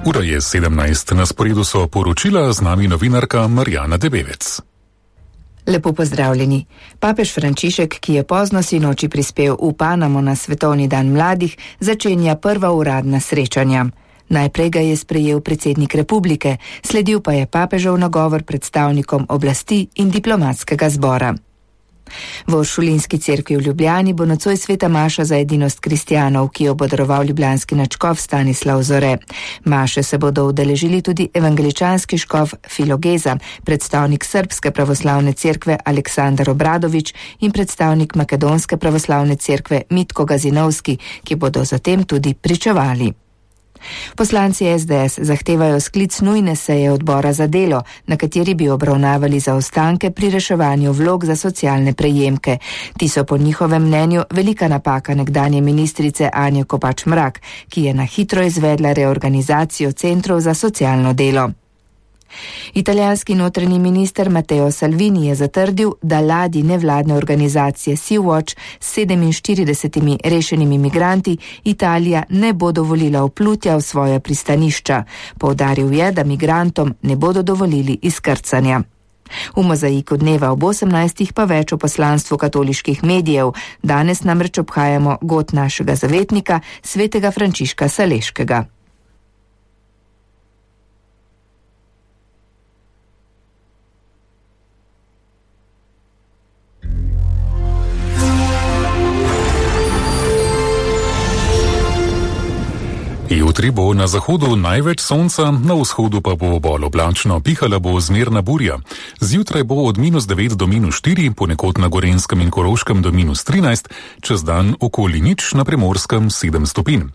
Ura je 17, na sporedu so poročila, z nami novinarka Marjana Debevec. Lepo pozdravljeni. Papež Frančišek, ki je pozno sinoči prispel v Panamo na Svetovni dan mladih, začenja prva uradna srečanja. Najprej ga je sprejel predsednik republike, sledil pa je papežev nagovor predstavnikom oblasti in diplomatskega zbora. V Uršulinski cerkvi v Ljubljani bo nocoj sveta maša za edinost kristjanov, ki jo bo daroval ljubljanski nadškof Stanislav Zore. Maše se bodo udeležili tudi evangeličanski škof Filogeza, predstavnik Srbske pravoslavne cerkve Aleksandar Obradović in predstavnik Makedonske pravoslavne cerkve Mitko Gazinovski, ki bodo zatem tudi pričevali. Poslanci SDS zahtevajo sklic nujne seje odbora za delo, na kateri bi obravnavali zaostanke pri reševanju vlog za socialne prejemke. Ti so po njihovem mnenju velika napaka nekdanje ministrice Anje Kopač Mrak, ki je na hitro izvedla reorganizacijo centrov za socialno delo. Italijanski notranji minister Matteo Salvini je zatrdil, da ladji nevladne organizacije Sea-Watch s 47 rešenimi migranti Italija ne bo dovolila vplutja v svoja pristanišča. Poudaril je, da migrantom ne bodo dovolili izkrcanja. V mozaiku dneva ob 18. pa več o poslanstvu katoliških medijev. Danes namreč obhajamo god našega zavetnika, svetega Frančiška Saleškega. Jutri bo na zahodu največ sonca, na vzhodu pa bo bolj oblačno, pihala bo zmerna burja. Zjutraj bo od -9 do -4, ponekod na Gorenjskem in Koroškem do -13, čez dan okoli nič, na Primorskem 7 stopinj.